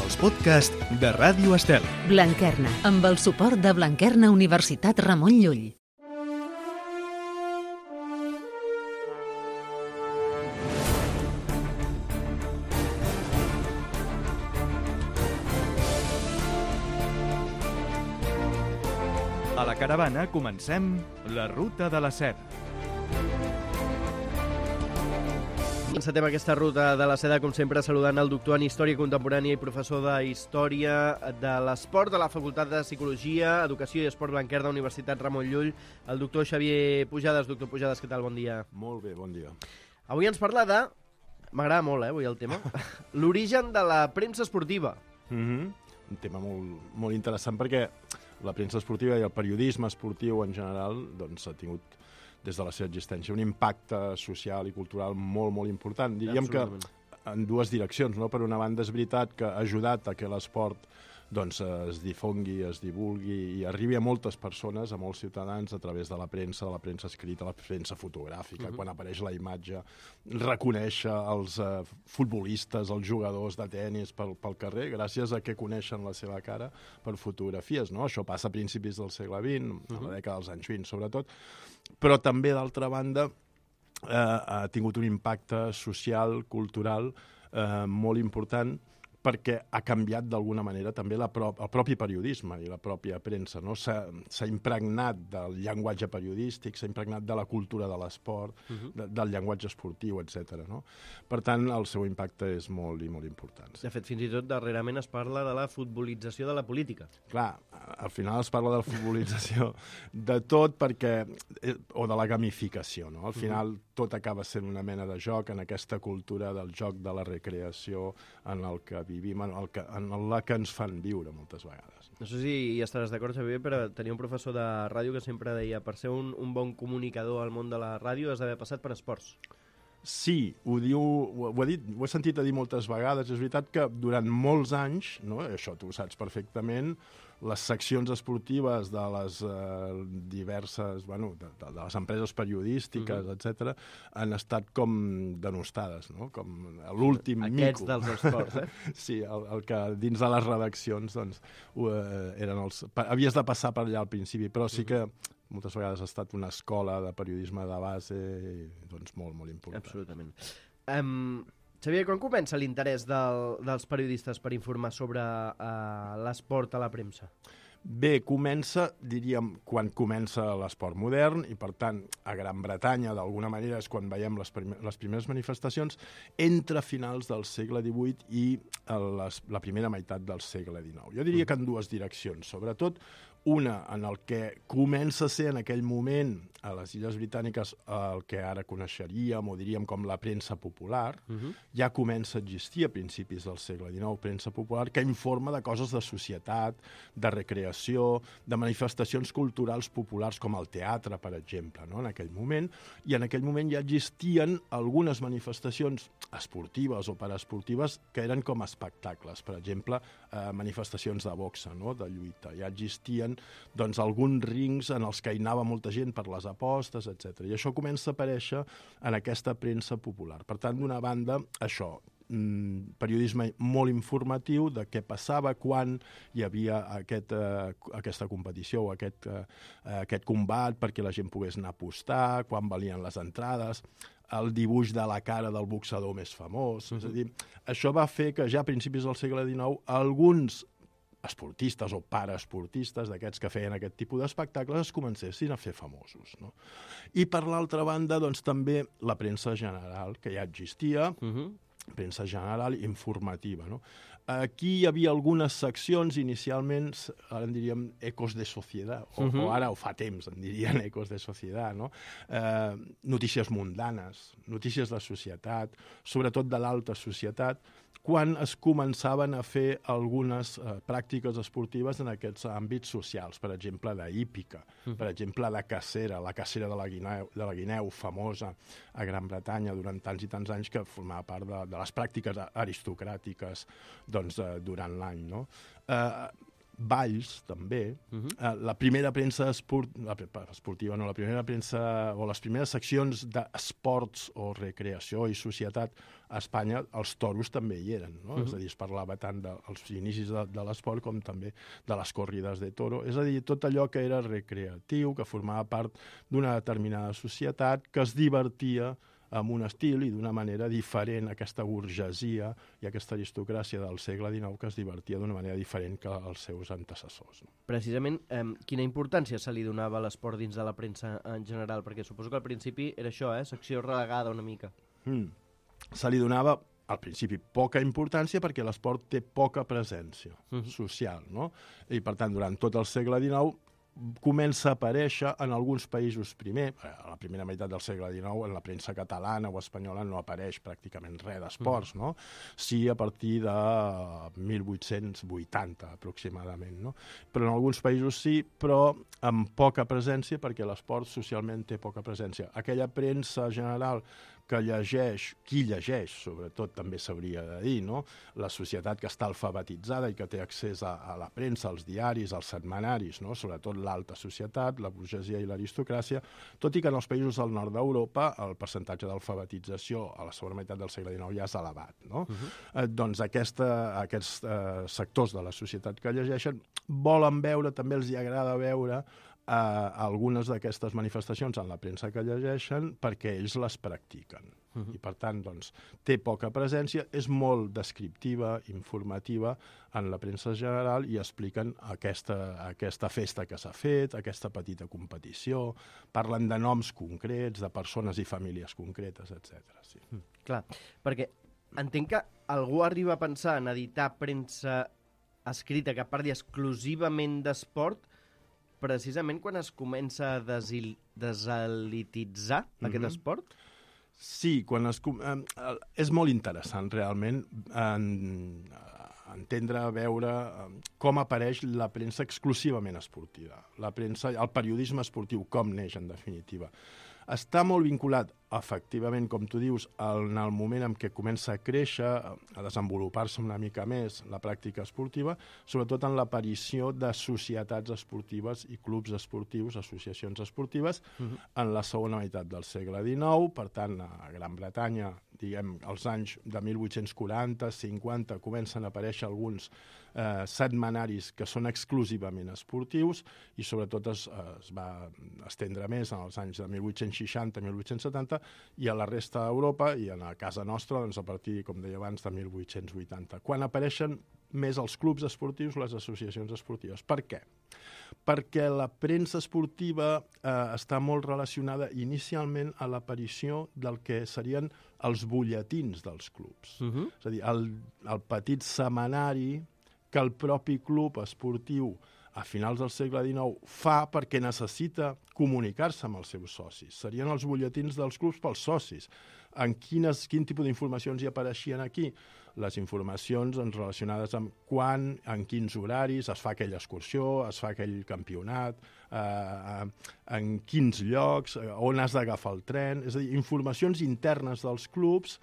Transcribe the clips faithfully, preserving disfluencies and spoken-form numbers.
els podcasts de Ràdio Estel. Blanquerna, amb el suport de Blanquerna Universitat Ramon Llull. A la caravana comencem la ruta de la seda. Encetem aquesta ruta de la seda, com sempre, saludant el doctor en Història Contemporània i professor de Història de l'Esport de la Facultat de Psicologia, Educació i Esport Blanquerna, Universitat Ramon Llull, el doctor Xavier Pujades. Doctor Pujades, què tal? Bon dia. Molt bé, bon dia. Avui ens parla de... M'agrada molt, eh, avui el tema. L'origen de la premsa esportiva. Mm-hmm. Un tema molt, molt interessant perquè la premsa esportiva i el periodisme esportiu en general doncs, ha tingut des de la seva existència un impacte social i cultural molt, molt important. Diríem que en dues direccions, no? Per una banda és veritat que ha ajudat a que l'esport doncs, es difongui, es divulgui i arribi a moltes persones, a molts ciutadans, a través de la premsa, de la premsa escrita, la premsa fotogràfica, uh-huh. Quan apareix la imatge, reconèixer els uh, futbolistes, els jugadors de tennis pel, pel carrer, gràcies a que coneixen la seva cara per fotografies, no? Això passa a principis del segle vint, uh-huh. A la dècada dels anys vint, sobretot, però també, d'altra banda, eh, ha tingut un impacte social, cultural, eh, molt important, perquè ha canviat d'alguna manera també la pro el propi periodisme i la pròpia premsa, no? S'ha impregnat del llenguatge periodístic, s'ha impregnat de la cultura de l'esport, uh-huh. de, del llenguatge esportiu, etcètera. No? Per tant, el seu impacte és molt i molt important. De fet, fins i tot, darrerament es parla de la futbolització de la política. Clar, al final es parla de la futbolització de tot perquè... o de la gamificació, no? Al final uh-huh. tot acaba sent una mena de joc en aquesta cultura del joc de la recreació en el que vivim, en, el que, en la que ens fan viure moltes vegades. No sé si hi estaràs d'acord, Xavier, però tenia un professor de ràdio que sempre deia per ser un, un bon comunicador al món de la ràdio has d'haver passat per esports. Sí, ho diu, ho, ho, he dit, ho he sentit a dir moltes vegades. És veritat que durant molts anys, no, això tu ho saps perfectament, les seccions esportives de les eh, diverses, bueno, de, de, de les empreses periodístiques, uh-huh. etcètera, han estat com denostades, no? Com l'últim mico. Aquests dels esports, eh? Sí, el, el que dins de les redaccions, doncs, ho, eh, eren els... Havies de passar per allà al principi, però sí que moltes vegades ha estat una escola de periodisme de base, doncs, molt, molt important. Absolutament. Um... Xavier, quan comença l'interès del, dels periodistes per informar sobre uh, l'esport a la premsa? Bé, comença, diríem, quan comença l'esport modern i, per tant, a Gran Bretanya, d'alguna manera, és quan veiem les, prim les primeres manifestacions entre finals del segle divuit i les, la primera meitat del segle dinou. Jo diria que en dues direccions, sobretot una en el que comença a ser en aquell moment a les Illes Britàniques el que ara coneixeríem o diríem com la premsa popular, uh-huh. ja comença a existir a principis del segle dinou, premsa popular que informa de coses de societat, de recreació, de manifestacions culturals populars com el teatre, per exemple, no? En aquell moment, i en aquell moment ja existien algunes manifestacions esportives o paraesportives que eren com espectacles, per exemple, eh, manifestacions de boxa, no? De lluita. Ja existien doncs, alguns rings en els que hi anava molta gent per les apostes, etcètera. I això comença a aparèixer en aquesta premsa popular. Per tant, d'una banda, això, mmm, periodisme molt informatiu de què passava quan hi havia aquest, eh, aquesta competició o aquest, eh, aquest combat perquè la gent pogués anar a apostar, quan valien les entrades, el dibuix de la cara del boxador més famós. Uh-huh. És a dir, això va fer que ja a principis del segle dinou alguns esportistes o paraesportistes d'aquests que feien aquest tipus d'espectacles es comencessin a fer famosos. No? I per l'altra banda, doncs, també la premsa general, que ja existia, uh-huh. premsa general informativa. No? Aquí hi havia algunes seccions, inicialment, ara en diríem ecos de societat, o, uh-huh. o ara, o fa temps, en dirien ecos de societat, no? Eh, notícies mundanes, notícies de societat, sobretot de l'alta societat, quan es començaven a fer algunes eh, pràctiques esportives en aquests àmbits socials, per exemple, de hípica, uh-huh. per exemple, de cacera, la cacera de la, guineu, de la guineu, famosa a Gran Bretanya durant tants i tants anys, que formava part de, de les pràctiques aristocràtiques doncs, eh, durant l'any. No? Eh, Valls, també. Uh -huh. uh, la primera premsa esport... la, esportiva, no, la primera premsa o les primeres seccions d'esports o recreació i societat a Espanya, els toros també hi eren, no? Uh -huh. És a dir, es parlava tant dels inicis de, de l'esport com també de les corrides de toro. És a dir, tot allò que era recreatiu, que formava part d'una determinada societat, que es divertia amb un estil i d'una manera diferent, aquesta burgesia i aquesta aristocràcia del segle dinou que es divertia d'una manera diferent que els seus antecessors. No? Precisament, eh, quina importància se li donava a l'esport dins de la premsa en general? Perquè suposo que al principi era això, eh? Secció relegada una mica. Mm. Se li donava al principi poca importància perquè l'esport té poca presència uh-huh. social, no? I per tant, durant tot el segle dinou comença a aparèixer en alguns països primer, a la primera meitat del segle dinou, en la premsa catalana o espanyola no apareix pràcticament res d'esports, no? Sí a partir de mil vuit-cents vuitanta, aproximadament, no? Però en alguns països sí, però amb poca presència, perquè l'esport socialment té poca presència. Aquella premsa general que llegeix, qui llegeix, sobretot també s'hauria de dir, no? La societat que està alfabetitzada i que té accés a, a la premsa, als diaris, als setmanaris, no? Sobretot l'alta societat, la burgesia i l'aristocràcia, tot i que en els països del nord d'Europa el percentatge d'alfabetització a la segona meitat del segle dinou ja és elevat, no? Uh-huh. eh, doncs aquesta, aquests eh, sectors de la societat que llegeixen volen veure, també els hi agrada veure Uh, algunes d'aquestes manifestacions en la premsa que llegeixen perquè ells les practiquen. Uh-huh. I, per tant, doncs, té poca presència, és molt descriptiva, informativa en la premsa general i expliquen aquesta, aquesta festa que s'ha fet, aquesta petita competició, parlen de noms concrets, de persones i famílies concretes, etcètera. Sí. Mm, clar, perquè entenc que algú arriba a pensar en editar premsa escrita que parli exclusivament d'esport precisament quan es comença a desil... deselititzar mm-hmm. aquest esport? Sí, quan es... Eh, és molt interessant, realment, en, entendre, veure com apareix la premsa exclusivament esportiva. La premsa, el periodisme esportiu, com neix, en definitiva. Està molt vinculat, efectivament, com tu dius, en el moment en què comença a créixer, a desenvolupar-se una mica més la pràctica esportiva, sobretot en l'aparició de societats esportives i clubs esportius, associacions esportives, uh-huh. en la segona meitat del segle dinou. Per tant, a Gran Bretanya, diguem, als anys de mil vuit-cents quaranta, cinquanta, comencen a aparèixer alguns eh, setmanaris que són exclusivament esportius i sobretot es, es va estendre més en els anys de mil vuit-cents seixanta, mil vuit-cents setanta, i a la resta d'Europa i a casa nostra, doncs, a partir, com deia abans, de mil vuit-cents vuitanta, quan apareixen més els clubs esportius, les associacions esportives. Per què? Perquè la premsa esportiva eh, està molt relacionada inicialment a l'aparició del que serien els butlletins dels clubs. Uh-huh. És a dir, el, el petit setmanari que el propi club esportiu a finals del segle dinou fa perquè necessita comunicar-se amb els seus socis. Serien els butlletins dels clubs pels socis. En quines, quin tipus d'informacions hi apareixien aquí? Les informacions relacionades amb quan, en quins horaris es fa aquella excursió, es fa aquell campionat, eh, en quins llocs, on has d'agafar el tren. És a dir, informacions internes dels clubs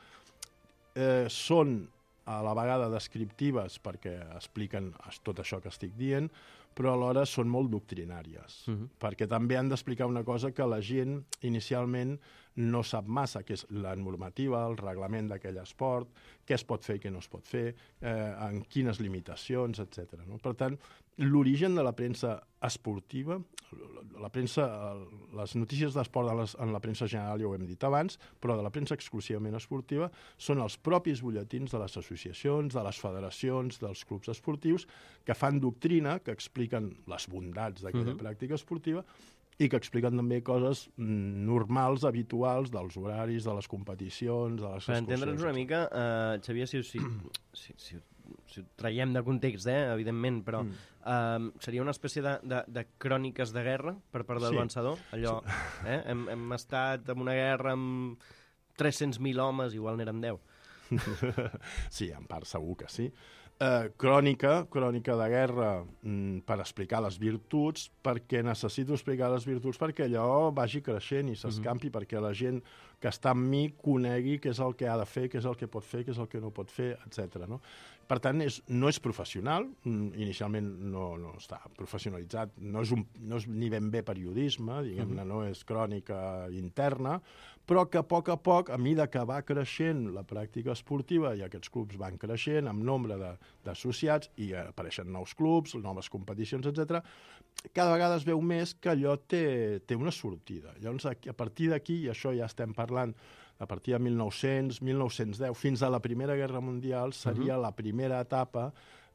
eh, són a la vegada descriptives perquè expliquen tot això que estic dient, però alhora són molt doctrinàries, uh-huh. perquè també han d'explicar una cosa que la gent inicialment no sap massa, que és la normativa, el reglament d'aquell esport, què es pot fer i què no es pot fer, eh, en quines limitacions, etcètera. No? Per tant, l'origen de la premsa esportiva, la premsa, les notícies d'esport en la premsa general ja ho hem dit abans, però de la premsa exclusivament esportiva són els propis butlletins de les associacions, de les federacions, dels clubs esportius, que fan doctrina, que expliquen les bondats d'aquella uh-huh. pràctica esportiva i que expliquen també coses normals, habituals, dels horaris, de les competicions, de les per entendre'ns una mica, uh, Xavier, si, si, si, si, si ho traiem de context, eh, evidentment, però mm. uh, seria una espècie de, de, de cròniques de guerra per part del sí. vencedor, allò, sí. eh, hem, hem estat en una guerra amb tres-cents mil homes, igual n'eren deu. Sí, en part segur que sí. Eh, crònica, crònica de guerra mm, per explicar les virtuts, perquè necessito explicar les virtuts perquè allò vagi creixent i s'escampi, mm-hmm. perquè la gent que està amb mi conegui què és el que ha de fer, què és el que pot fer, què és el que no pot fer, etcètera. No? Per tant, és, no és professional, inicialment no, no està professionalitzat, no és, un, no és ni ben bé periodisme, diguem-ne, no és crònica interna, però que a poc a poc, a mida que va creixent la pràctica esportiva i aquests clubs van creixent amb nombre d'associats i apareixen nous clubs, noves competicions, etcètera, cada vegada es veu més que allò té, té una sortida. Llavors, a partir d'aquí, i això ja estem parlant a partir de mil nou-cents, mil nou-cents deu, fins a la Primera Guerra Mundial, seria uh-huh. la primera etapa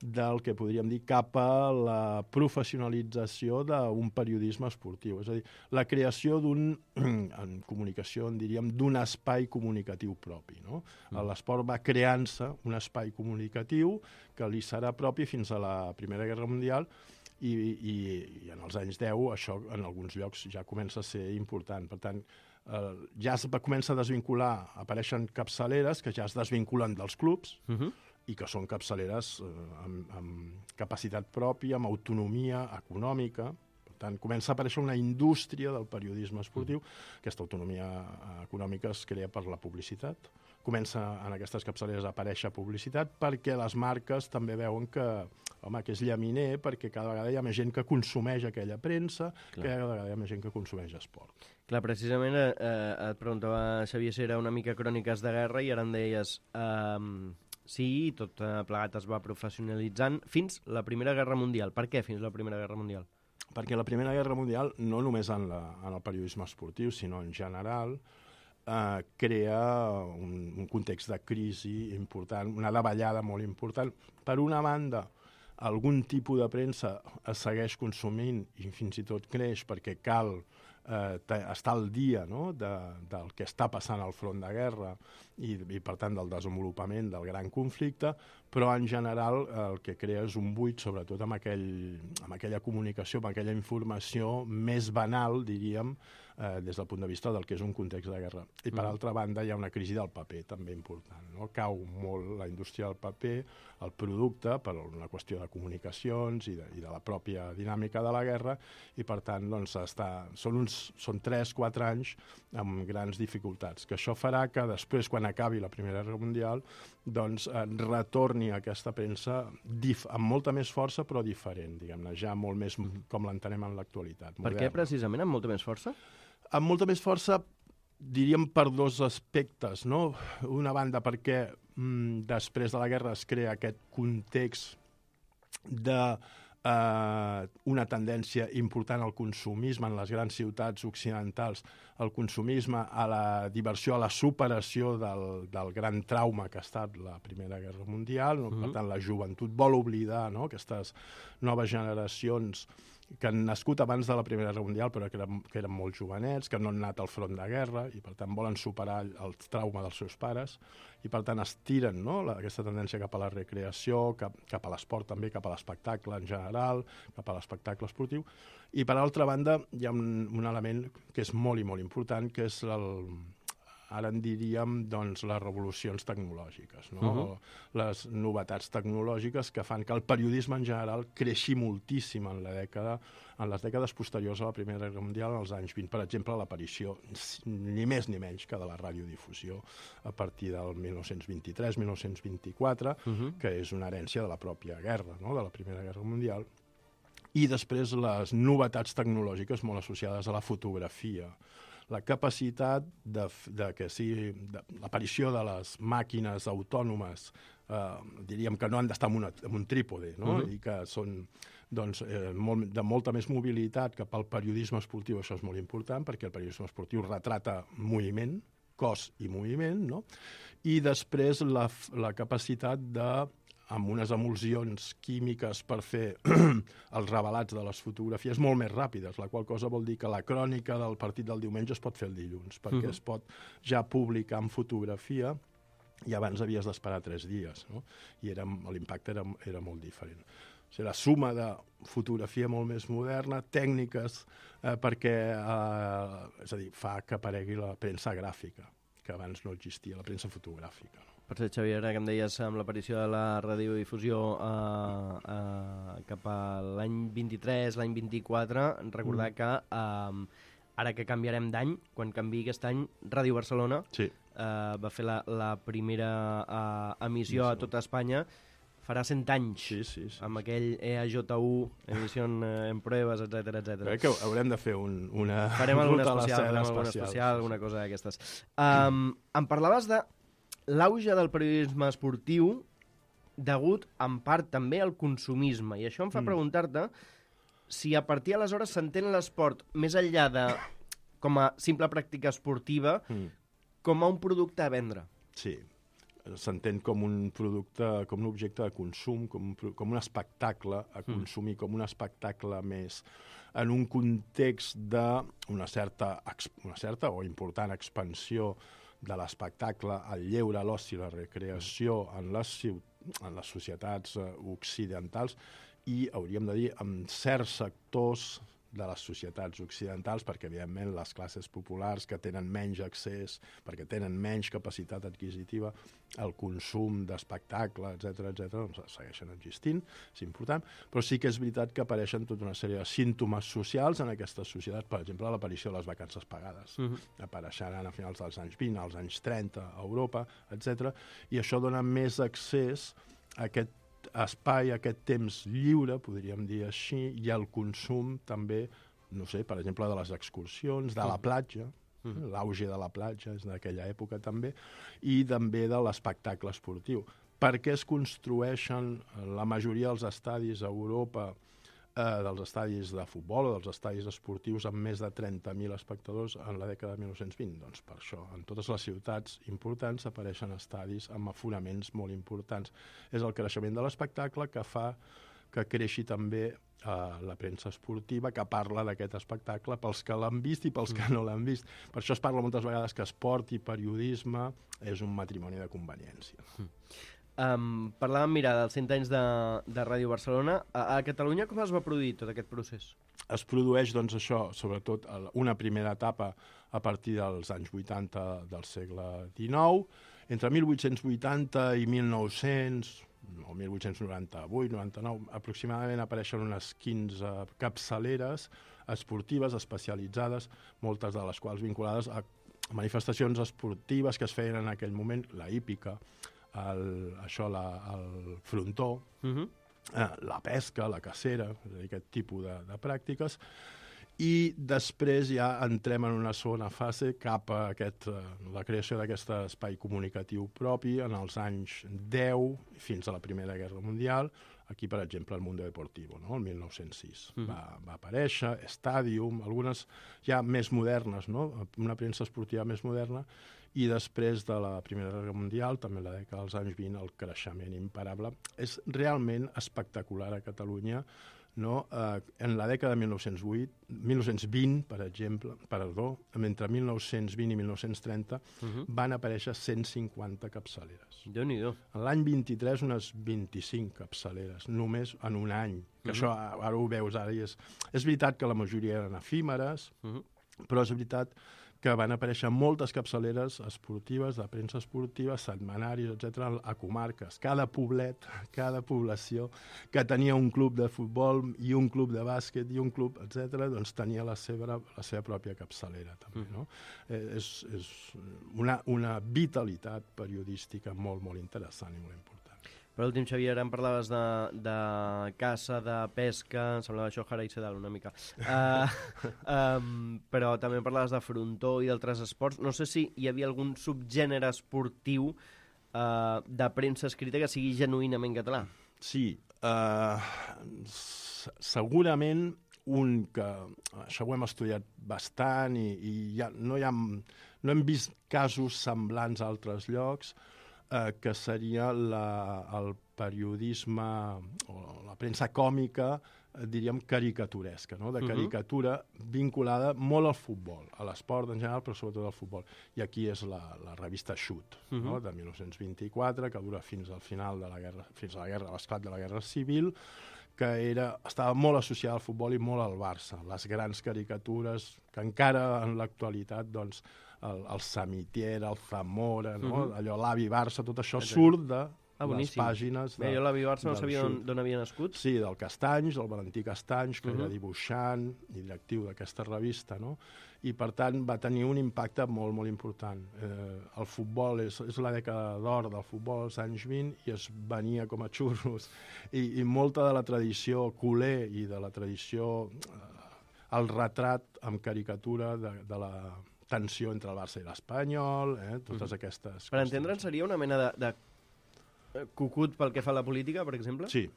del que podríem dir cap a la professionalització d'un periodisme esportiu. És a dir, la creació d'un, en comunicació, en diríem, d'un espai comunicatiu propi. No? Uh-huh. L'esport va creant-se un espai comunicatiu que li serà propi fins a la Primera Guerra Mundial i, i, i en els anys deu això en alguns llocs ja comença a ser important. Per tant, Uh, ja es comença a desvincular, apareixen capçaleres que ja es desvinculen dels clubs uh-huh. i que són capçaleres uh, amb, amb capacitat pròpia, amb autonomia econòmica. Per tant, comença a aparèixer una indústria del periodisme esportiu. Uh-huh. Aquesta autonomia uh, econòmica es crea per la publicitat. Comença en aquestes capçaleres a aparèixer publicitat perquè les marques també veuen que, home, que és llaminer, perquè cada vegada hi ha més gent que consumeix aquella premsa, Clar. que cada vegada hi ha més gent que consumeix esport. Clar, precisament eh, et preguntava, Xavier, si era una mica cròniques de guerra i ara em deies eh, sí, tot plegat es va professionalitzant fins la Primera Guerra Mundial. Per què fins la Primera Guerra Mundial? Perquè la Primera Guerra Mundial, no només en, la, en el periodisme esportiu, sinó en general, eh, crea un, un context de crisi important, una davallada molt important. Per una banda, algun tipus de premsa es segueix consumint i fins i tot creix perquè cal eh, estar al dia, no?, de, del que està passant al front de guerra i, i, per tant, del desenvolupament del gran conflicte, però en general el que crea és un buit, sobretot amb, aquell, amb aquella comunicació, amb aquella informació més banal, diríem, eh, des del punt de vista del que és un context de guerra. I, per mm. altra banda, hi ha una crisi del paper també important, no? Cau molt la indústria del paper, el producte, per una qüestió de comunicacions i de, i de la pròpia dinàmica de la guerra, i, per tant, doncs, està, són, uns, són tres quatre anys amb grans dificultats, que això farà que després, quan acabi la Primera Guerra Mundial, doncs, eh, retorni aquesta premsa dif- amb molta més força, però diferent, diguem-ne, ja molt més com l'entenem en l'actualitat. Per què, precisament, amb molta més força? Amb molta més força, diríem, per dos aspectes, no? Una banda, perquè mm, després de la guerra es crea aquest context de eh, una tendència important al consumisme en les grans ciutats occidentals, al consumisme, a la diversió, a la superació del, del gran trauma que ha estat la Primera Guerra Mundial. No? Uh-huh. Per tant, la joventut vol oblidar, no?, aquestes noves generacions que han nascut abans de la Primera Guerra Mundial, però que eren, que eren molt jovenets, que no han anat al front de guerra, i per tant volen superar el trauma dels seus pares, i per tant estiren, no?, la, aquesta tendència cap a la recreació, cap, cap a l'esport també, cap a l'espectacle en general, cap a l'espectacle esportiu. I per altra banda hi ha un, un element que és molt i molt important, que és el... ara en diríem, doncs, les revolucions tecnològiques, no? Uh-huh. Les novetats tecnològiques que fan que el periodisme en general creixi moltíssim en la dècada, en les dècades posteriors a la Primera Guerra Mundial, als anys vint. Per exemple, l'aparició, ni més ni menys que de la radiodifusió a partir del mil nou-cents vint-i-tres mil nou-cents vint-i-quatre, uh-huh. que és una herència de la pròpia guerra, no?, de la Primera Guerra Mundial. I després les novetats tecnològiques molt associades a la fotografia, la capacitat de, de que sigui de, l'aparició de les màquines autònomes, eh, diríem que no han d'estar en, una, en un trípode, no? Uh-huh. I que són doncs, eh, molt, de molta més mobilitat cap al periodisme esportiu. Això és molt important perquè el periodisme esportiu retrata moviment, cos i moviment, no? I després la, la capacitat de, amb unes emulsions químiques per fer els revelats de les fotografies molt més ràpides, la qual cosa vol dir que la crònica del partit del diumenge es pot fer el dilluns, perquè uh-huh. es pot ja publicar en fotografia i abans havies d'esperar tres dies, no? I era, l'impacte era, era molt diferent. O sigui, la suma de fotografia molt més moderna, tècniques, eh, perquè eh, és a dir, fa que aparegui la premsa gràfica, que abans no existia, la premsa fotogràfica, no? Per cert, Xavier, ara que em deies amb l'aparició de la radiodifusió eh, eh, cap a l'any vint-i-tres, l'any vint-i-quatre, recordar mm. que eh, ara que canviarem d'any, quan canviï aquest any, Ràdio Barcelona sí. eh, va fer la, la primera eh, emissió sí. a tota Espanya, farà cent anys, sí, sí, sí, amb aquell E A J U, Emisión eh, en Pruebas, etcètera, etcètera. Crec que haurem de fer un, una... Farem alguna ruta a la especial, seda farem alguna espacial, especial, sí, alguna sí. cosa d'aquestes. Um, em parlaves de l'auge del periodisme esportiu degut, en part, també al consumisme. I això em fa Mm. preguntar-te si a partir d'aleshores s'entén l'esport més enllà de com a simple pràctica esportiva, Mm. com a un producte a vendre. Sí, s'entén com un producte, com un objecte de consum, com un, pro- com un espectacle a consumir, mm. com un espectacle més en un context d'una certa, ex- una certa o important expansió de l'espectacle, el lleure, l'oci, la recreació en les, ciut- en les societats eh, occidentals i, hauríem de dir, en certs sectors de les societats occidentals, perquè, evidentment, les classes populars que tenen menys accés, perquè tenen menys capacitat adquisitiva, el consum d'espectacle, etcètera, etcètera, doncs segueixen existint, és important, però sí que és veritat que apareixen tota una sèrie de símptomes socials en aquestes societats, per exemple, l'aparició de les vacances pagades. Uh-huh. Apareixeran a finals dels anys vint, als anys trenta, a Europa, etcètera, i això dona més accés a aquest espai, aquest temps lliure, podríem dir així, i el consum també, no sé, per exemple, de les excursions, de la platja, mm. l'auge de la platja és d'aquella època també, i també de l'espectacle esportiu. Per què es construeixen la majoria dels estadis a Europa, eh, dels estadis de futbol o dels estadis esportius amb més de trenta mil espectadors en la dècada de mil nou-cents vint? Doncs per això, en totes les ciutats importants apareixen estadis amb aforaments molt importants. És el creixement de l'espectacle que fa que creixi també eh, la premsa esportiva, que parla d'aquest espectacle pels que l'han vist i pels que no l'han vist. Per això es parla moltes vegades que esport i periodisme és un matrimoni de conveniència. Um, parlàvem, mira, dels cent anys de, de Ràdio Barcelona. A, a Catalunya com es va produir tot aquest procés? Es produeix, doncs, això, sobretot una primera etapa a partir dels anys vuitanta del segle dinou. Entre mil vuit-cents vuitanta i mil nou-cents, o mil vuit-cents noranta-vuit noranta-nou, aproximadament apareixen unes quinze capçaleres esportives especialitzades, moltes de les quals vinculades a manifestacions esportives que es feien en aquell moment, la hípica, el, això, la, el frontó, uh-huh. eh, la pesca, la cacera, és a dir, aquest tipus de, de pràctiques, i després ja entrem en una segona fase cap a aquest, eh, la creació d'aquest espai comunicatiu propi en els anys deu fins a la Primera Guerra Mundial. Aquí, per exemple, el Mundo Deportivo, no? El mil nou-cents sis. Mm. Va, va aparèixer, Stadium, algunes ja més modernes, no? Una premsa esportiva més moderna, i després de la Primera Guerra Mundial, també la dècada dels anys vint, el creixement imparable. És realment espectacular a Catalunya, no? Eh, en la dècada de mil nou-cents vuit, mil nou-cents vint, per exemple, perdó, entre mil nou-cents vint i mil nou-cents trenta, uh-huh. van aparèixer cent cinquanta capçaleres. Déu-n'hi-do. En l'any vint-i-tres, unes vint-i-cinc capçaleres, només en un any. Que uh-huh. això ara ho veus ara i és... És veritat que la majoria eren efímeres, uh-huh. però és veritat que van aparèixer moltes capçaleres esportives, de premsa esportiva, setmanaris, etcètera, a comarques. Cada poblet, cada població que tenia un club de futbol i un club de bàsquet i un club, etcètera, doncs tenia la seva, la seva pròpia capçalera, també, no? Eh, és és una, una vitalitat periodística molt, molt interessant i molt important. Per últim, Xavier, em parlaves de, de caça, de pesca, em semblava això Jara i Sedal una mica, uh, um, però també em parlaves de frontó i d'altres esports. No sé si hi havia algun subgènere esportiu uh, de premsa escrita que sigui genuïnament català. Sí, uh, segurament un que, això ho hem estudiat bastant i, i ja, no, hi ha, no hem vist casos semblants a altres llocs, eh, que seria la, el periodisme o la premsa còmica, eh, diríem, caricaturesca, no? De caricatura uh-huh. vinculada molt al futbol, a l'esport en general, però sobretot al futbol. I aquí és la, la revista Xut, uh-huh. no? De mil nou-cents vint-i-quatre, que dura fins al final de la guerra, fins a la guerra, a l'esclat de la Guerra Civil, que era, estava molt associada al futbol i molt al Barça. Les grans caricatures que encara en l'actualitat, doncs, el, el Samitier, el Zamora, no? Uh-huh. Allò, l'avi Barça, tot això okay. surt de Ah, les boníssim. pàgines... Bé, De, jo l'avi Barça no del sabia xut. d'on havia nascut. Sí, del Castanys, del Valentí Castanys, que Uh-huh. era dibuixant i directiu d'aquesta revista, no? I, per tant, va tenir un impacte molt, molt important. Eh, el futbol és, és la dècada d'or del futbol als anys vint i es venia com a xurros. I, i molta de la tradició culer i de la tradició... Eh, el retrat amb caricatura de, de la tensió entre el Barça i l'Espanyol, eh, totes uh-huh. aquestes... Per entendre'n, seria una mena de, de cucut pel que fa a la política, per exemple? Sí,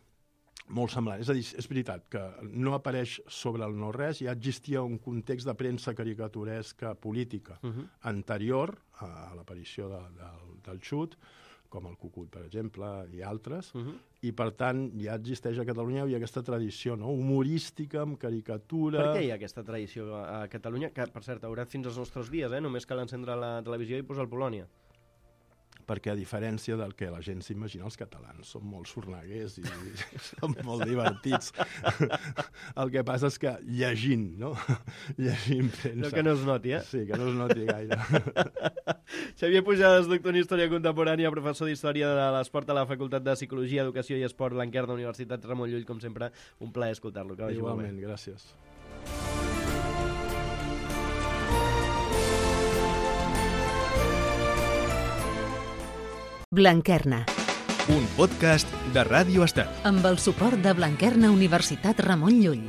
molt semblant. És a dir, és veritat que no apareix sobre el no-res, ja existia un context de premsa caricaturesca política Uh-huh. anterior a l'aparició de, de, del xut, com el Cucut, per exemple, i altres, Uh-huh. i per tant ja existeix a Catalunya, hi ha aquesta tradició, no?, humorística, amb caricatura... Per què hi ha aquesta tradició a Catalunya? Que, per cert, haurà fins als nostres dies, eh? Només cal encendre la televisió i posar el Polònia. Perquè, a diferència del que la gent s'imagina, els catalans són molt sorneguers i són molt divertits. El que passa és que llegint, no? Llegint premsa... No que no es noti, eh? Sí, que no es noti gaire. Xavier Pujades, doctor en Història Contemporània, professor d'Història de l'Esport a la Facultat de Psicologia, Educació i Esport Blanquerna, Universitat Ramon Llull, com sempre, un plaer escoltar-lo. Que vagi molt bé. Igualment, gràcies. Blanquerna, Un podcast de Ràdio Estat. amb el suport de Blanquerna Universitat Ramon Llull.